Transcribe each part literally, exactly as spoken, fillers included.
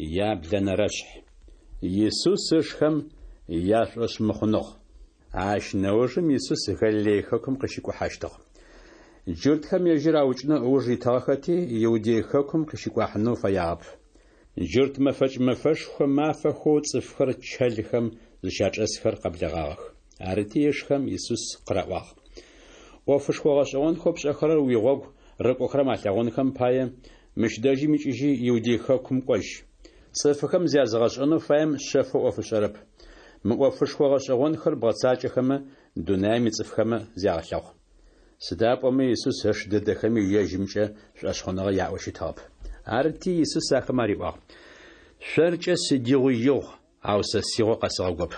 Яблэнэрэшъхь. Исус ышхэм яшӏошъмыхъуныгъ. Ащ нэужым Исус Галилей хэкум къыщикӏухьэщтыгъ. Джуртхэм ежьыр аукӏынэу ыуж итыгъэхэти, Иудей хэкум къыщикӏуахьынэу фэягъэп. Джурт мэфэкӏ мэфэшхо мафэхэу цӏыфхэр чэлхэм зыщачӏэсхэр къэблэгъагъэх. Арыти ышхэм Исус къыраӏуагъ: «Ӏофышхо гъэшӏэгъонхэу пшӏэхэрэр уигъогу рыкӏохэрэм алъэгъунхэм пае мыщ дэжьым икӏыжьи Иудей хэкум кӏожь. Цӏыфхэм зязыгъэшӏэнэу фаем шъэфэу ӏоф ышӏэрэп. Мы ӏофышхо гъэшӏэгъонхэр бгъэцакӏэхэмэ, дунаим ицӏыфхэмэ зягъэлъэгъу». Сыда пӏомэ Исус ыш дэдэхэми ежьымкӏэ шӏошъхъуныгъэ яӏэу щытыгъэп. Арыти Исус ахэмэ ариӏуагъ: «Шъоркӏэ сыдигъуи игъу, ау сэ сигъо къэсыгъэгоп.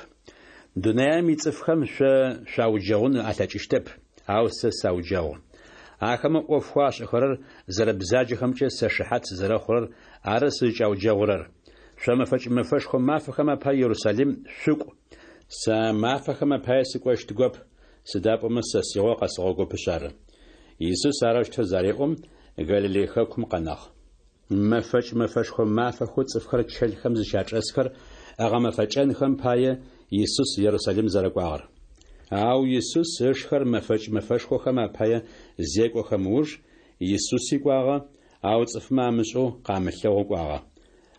Дунаим ицӏыфхэм шъо шъуауджэгъун алъэкӏыщтэп, ау сэ сауджэгъу. Ахэмэ ӏофхэу ашӏэхэрэр зэрэбзаджэхэмкӏэ сэ шыхьат сызэрэхъурэр ары сызкӏауджэгъурэр. Шъо мэфэкӏ мэфэшхо мафэхэм апае Ерусалим шъукӏу, сэ а мафэхэм апае сыкӏощтыгоп, сыда пӏомэ сэ сигъо къэсыгъэгопышъ ары». Исус арэущтэу зареӏом, Галилей хэкум къэнагъ. Мэфэкӏ мэфэшхо мафэхэу цӏыфхэр чэлхэм зыщачӏэсхэр ыгъэмэфэкӏэнхэм пае Исус Ерусалим зэрэкӏуагъэр. Ау Исус ышхэр мэфэкӏ мэфэшхохэм апае зекӏохэм ыуж, Исуси кӏуагъэ, ау цӏыфмэ амышӏэу къамылъэгъоу кӏуагъэ.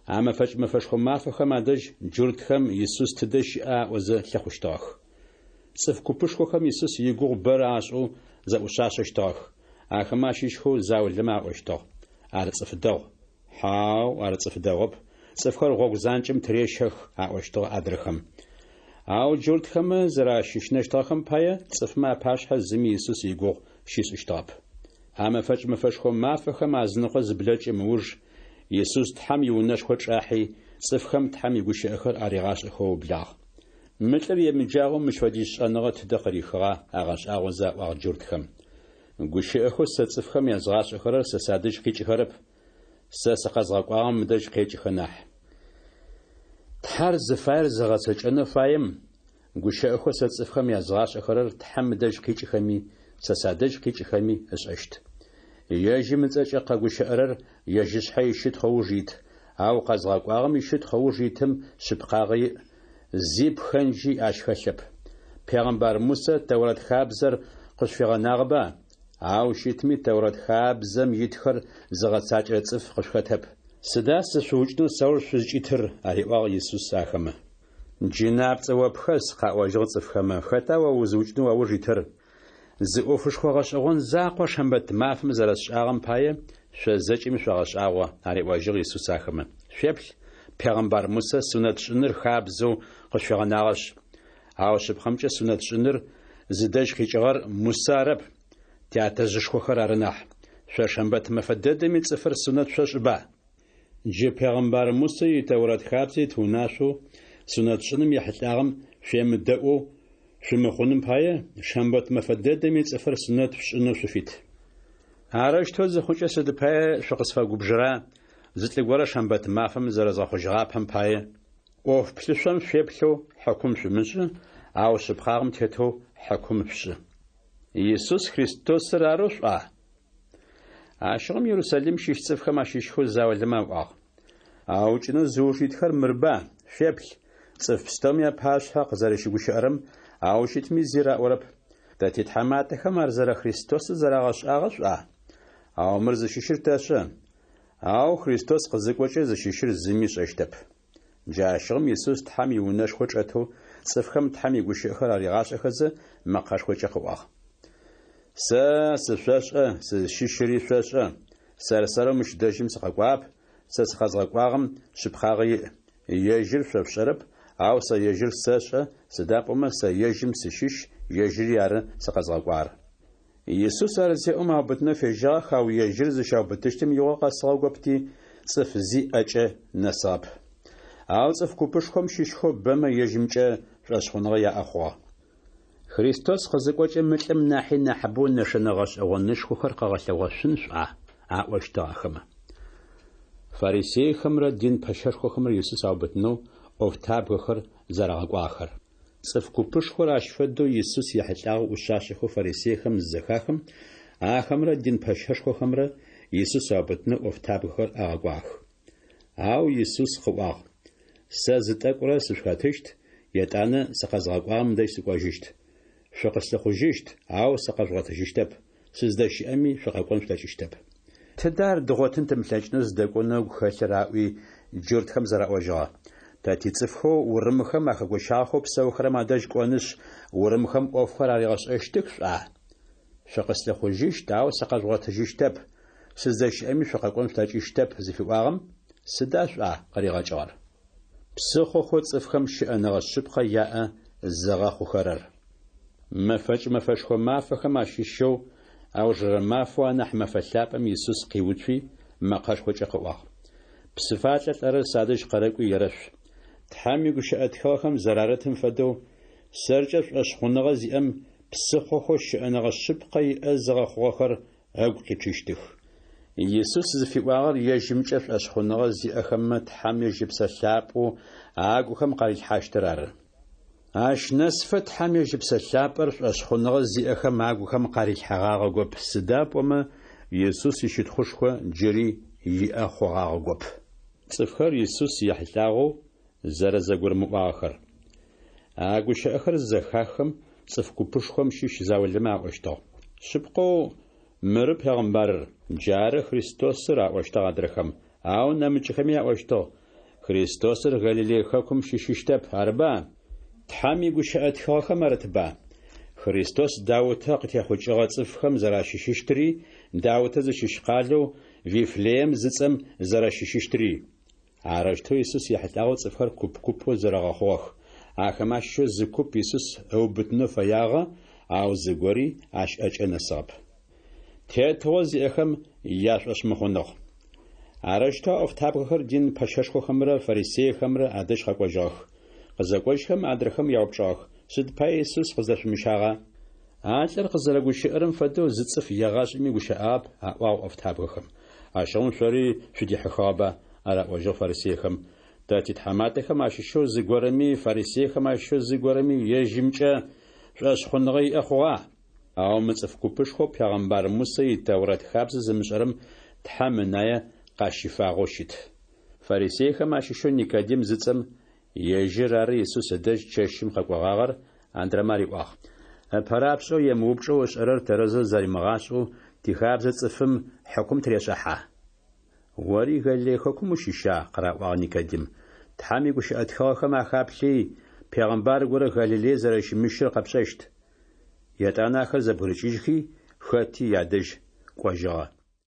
А мэфэкӏ мэфэшхо мафэхэм адэжь джуртхэм Исус тыдэ щыӏа аӏозэ лъыхъущтыгъэх. Цӏыф купышхохэм Исус игугъу бэрэ ашӏэу зэӏушъашъэщтыгъэх. Ахэмэ ащыщхэу заулэмэ аӏощтыгъ: «Ар цӏыф дэгъу». «Хьау, ар цӏыф дэгъоп, цӏыфхэр гъогу занкӏэм тырещэх», аӏощтыгъ адрэхэм. Ау джуртхэмэ зэращыщынэщтыгъэхэм пае цӏыфмэ апашъхьэ зыми Исус игугъу щишӏыщтыгъэп. А мэфэкӏ мэфэшхо мафэхэм азыныкъо зыблэкӏым ыуж, Исус Тхьэм иунэшхо чӏахьи, цӏыфхэм Тхьэм игущыӏэхэр аригъашӏэхэу ыублагъ. Мы лӏыр емыджагъэу мыщ фэдиз шӏэныгъэ тыдэ къырихыгъа агъэшӏагъозэ аӏуагъ джуртхэм. Гущыӏэхэу сэ цӏыфхэм язгъашӏэхэрэр сэ садэжь къикӏыхэрэп, сэ сыкъэзгъэкӏуагъэм ыдэжь къекӏыхэ нахь. Тхьэр зыфаер зыгъэцэкӏэнэу фаем, гущыӏэхэу сэ цӏыфхэм язгъашӏэхэрэр Тхьэм ыдэжь къикӏыхэми, сэ садэжь къикӏыхэми ышӏэщт. Ежьым ыцӏэкӏэ къэгущыӏэрэр ежь ышъхьэ ищытхъу ыуж ит, ау къэзгъэкӏуагъэм ищытхъу ыуж итым шъыпкъагъэ иӏ, зи пхэнджи ащ хэлъэп. Пегъэмбар Мусэ Тэурэт хабзэр къышъуфигъэнагъэба? Ау щытми Тэурэт хабзэм итхэр зыгъэцакӏэрэ цӏыф къышъухэтэп. Сыда сышъуукӏынэу сауж шъузкӏитыр? Ариӏуагъ Исус ахэмэ. Джынапцӏэ о пхэс, къаӏожьыгъ цӏыфхэмэ, хэта о узыукӏынэу уауж итыр? Зы ӏофышхо гъэшӏэгъон закъо шэмбэт мафэм зэрэсшӏагъэм пае шъо зэкӏэми шъогъэшӏагъо, ариӏожьыгъ Исус ахэмэ. Шъуеплъ, пегъэмбар Мусэ сунэт шӏыныр хабзэу къышъуфигъэнагъэшъ. Ау шъыпкъэмкӏэ сунэт шӏыныр зыдэжь къикӏыгъэр Мусэ арэп, тятэжъышхохэр ары нахь. Шъо шэмбэт мэфэ дэдэми цӏыфыр сунэт шъошӏыба? Джы пегъэмбар Мусэ и Тэурэт хабзэ ит унашъоу сунэт шӏыным ехьылӏагъэм шъуемыдэӏоу шъумыхъуным пае, шэмбэт мэфэ дэдэми цӏыфыр сунэт шъушӏынэу шъуфит. Арэущтэу зыхъукӏэ сыд пае шъукъысфэгубжыра зы лӏы горэ шэмбэт мафэм зэрэзгъэхъужьыгъапэм пае? ӏоф плъышъом шъуеплъэу хьыкум шъумышӏы, ау шъыпкъагъэм тетэу хьыкум шъушӏы. Исус Христосыр арэу шӏуа? Ащыгъум Ерусалим щыщ цӏыфхэм ащыщхэу заулэмэ аӏуагъ: Аукӏынэу зыуж итхэр мырба, шъуеплъ, цӏыф пстэуми апашъхьэ къызэрэщыгущыӏэрэм, ау щытми зи раӏорэп. Тэ титхьаматэхэм ар зэрэ Христосыр зэрагъэшӏагъэ шӏуа? Ау мыр зыщыщыр тэшӏэ. Ау Христос къызыкӏокӏэ зыщыщыр зыми ышӏэщтэп. Джащыгъум Исус Тхьэм иунэшхо чӏэтэу цӏыфхэм Тхьэм игущыӏэхэр аригъашӏэхэзэ мэкъэшхокӏэ къыӏуагъ: Сэ сышъошӏэ, сызщыщыри шъошӏэ. Сэр-сэрэу мыщ дэжьым сыкъэкӏуагъэп, сэ сыкъэзгъэкӏуагъэм шъыпкъагъэ иӏ. Ежьыр шъо шъушӏэрэп, ау сэ ежьыр сэшӏэ, сыда пӏомэ сэ ежьым сыщыщ, ежьыри ары сыкъэзгъэкӏуагъэр. Исус ар зеӏом аубытынэу фежьагъэх, ау ежьыр зыщаубытыщтым игъо къэсыгъэгопти, цӏыф зи ӏэкӏэ нэсыгъэп. Ау цӏыф купышхом щыщхэу бэмэ ежьымкӏэ шӏошъхъуныгъэ яӏэ хъугъэ. Христос къызыкӏокӏэ мы лӏым нахьи нахьыбэу нэшэнэ гъэшӏэгъонышхохэр къыгъэлъэгъошъун шӏуа? Аӏощтыгъ ахэмэ. Фарисейхэмрэ дин пэщэшхохэмрэ Исус аубытынэу ӏофтабгэхэр зэрагъэкӏуагъэхэр. Цӏыф купышхор ащ фэдэу Исус ехьылӏагъэу ӏушъашъэхэу фарисейхэм зызэхахым, ахэмрэ дин пэщэшхохэмрэ Исус аубытынэу ӏофтабгэхэр агъэкӏуагъэх. Ау Исус къыӏуагъ: Сэ зы тӏэкӏурэ сышъухэтыщт, етӏанэ сыкъэзгъэкӏуагъэм дэжь сыкӏожьыщт. Шъукъыслъыхъужьыщт, ау сыкъэжъугъотыжьыщтэп, сыздэщыӏэми шъукъэкӏон шъулъэкӏыщтэп. Тыда ар дгъотын тымылъэкӏынэу зыдэкӏонэу ыгу хэлъыр? – аӏуи, джуртхэм зэраӏожьыгъэ. Тэ тицӏыфхэу урымхэм ахэгощагъэхэу псэухэрэм адэжь кӏонышъ, урымхэм ӏофхэр аригъэшӏэщтых шӏуа? Шъукъыслъыхъужьыщт, ау сыкъэжъугъотыжьыщтэп, сыздэщыӏэми шъукъэкӏон шъулъэкӏыщтэп зыфиӏуагъэм сыда шӏуа къыригъэкӏыгъэр? Псыхъохэу цӏыфхэм щыӏэныгъэ шъыпкъэ яӏэ зыгъэхъухэрэр. Мэфэкӏ мэфэшхо мафэхэм ащыщэу аужырэ мафэу анахь мэфэ лъапӏэм Исус къиуцуи, мэкъэшхокӏэ къыӏуагъ: Псы фалӏэ лӏэрэр садэжь къэрэкӏуи ерэшъу. Тхьэм игущыӏэ тхыгъэхэм зэрарытым фэдэу, сэркӏэ шӏошъхъуныгъэ зиӏэм псыхъохэу щыӏэныгъэ шъыпкъэ иӏэ зыгъэхъугъэхэр ыгу къичъыщтых. Исус зыфиӏуагъэр ежьымкӏэ шӏошъхъуныгъэ зиӏэхэмэ Тхьэм ежь Ыпсэ Лъапӏэу агухэм къарилъхьащтыр ары. Ащ нэсыфэ Тхьэм ежь Ыпсэ Лъапӏэр шӏошъхъуныгъэ зиӏэхэм агухэм къарилъхьэгъагъэгоп, сыда пӏомэ Исус ищытхъушхо джыри иӏэ хъугъагъэгоп. Цӏыфхэр Исус ехьылӏагъэу зэрэзэгурымыӏуагъэхэр. А гущыӏэхэр зызэхаххэм, цӏыф купышхом щыщ заулэмэ аӏощтыгъ: Шъыпкъэу мыры пегъымбарыр, джары Христосыр, аӏощтыгъ адрэхэм, ау нэмыкӏхэми аӏощтыгъ: Христосыр Галилей хэкум щыщыщтэп, арыба? Тхьэм игущыӏэ тхыгъэхэм арытба: Христос Даутэ къытехъукӏыгъэ цӏыфхэм зэращыщыщтыри, Даутэ зыщыщ къалэу Вифлеем зыцӏэм зэрэщыщыщтыри. Арэущтэу Исус ехьылӏагъэу цӏыфхэр куп-купэу зэрэгъэхъугъэх. Ахэмэ ащыщэу зы куп Исус ыубытынэу фэягъэ, ау зыгори ащ ӏэкӏэ нэсыгъэп. Тетыгъо зиӏэхэм яшӏошъмыхъуныгъ. Арэущтэу а ӏофтабгэхэр дин пэщэшхохэмрэ фарисейхэмрэ адэжь къэкӏожьыгъэх. Къызэкӏожьхэм адрэхэм яупчӏыгъэх: Сыд пае Исус къыздэшъумыщагъа? А лӏыр къызэрэгущыӏэрэм фэдэу зы цӏыф егъашӏэми гущыӏагъэп, аӏуагъ ӏофтабгэхэм. Ащыгъум шъори шъудихьыхыгъэба? араӏожьыгъ фарисейхэм. Тэ титхьаматэхэм ащыщэу зыгорэми, фарисейхэм ащыщэу зыгорэми ежьымкӏэ шӏошъхъуныгъэ иӏэ хъугъа? Ау мы цӏыф купышхоу пегъэмбар Мусэ и Тэурэт хабзэ зымышӏэрэм Тхьэм ынае къащифагъэу щыт. Фарисейхэм ащыщэу Никодим зыцӏэм, ежьыр ары Исус ыдэжь чэщым къэкӏогъагъэр, адрэмэ ариӏуагъ: Ыпэрапшӏэу емыупчӏэу ышӏэрэр тэрэзэу зэримыгъашӏэу тихабзэ цӏыфым хьыкум тырешӏыхьа? Ори Галилей хэкум ущыща? къыраӏуагъ Никодим. Тхьэм игущыӏэ тхыгъэхэм ахаплъи, пегъэмбар горэ Галилей зэрэщымыщыр къэпшӏэщт. Етӏанэ ахэр зэбгырыкӏыжьхи, хэти ядэжь кӏожьыгъэ.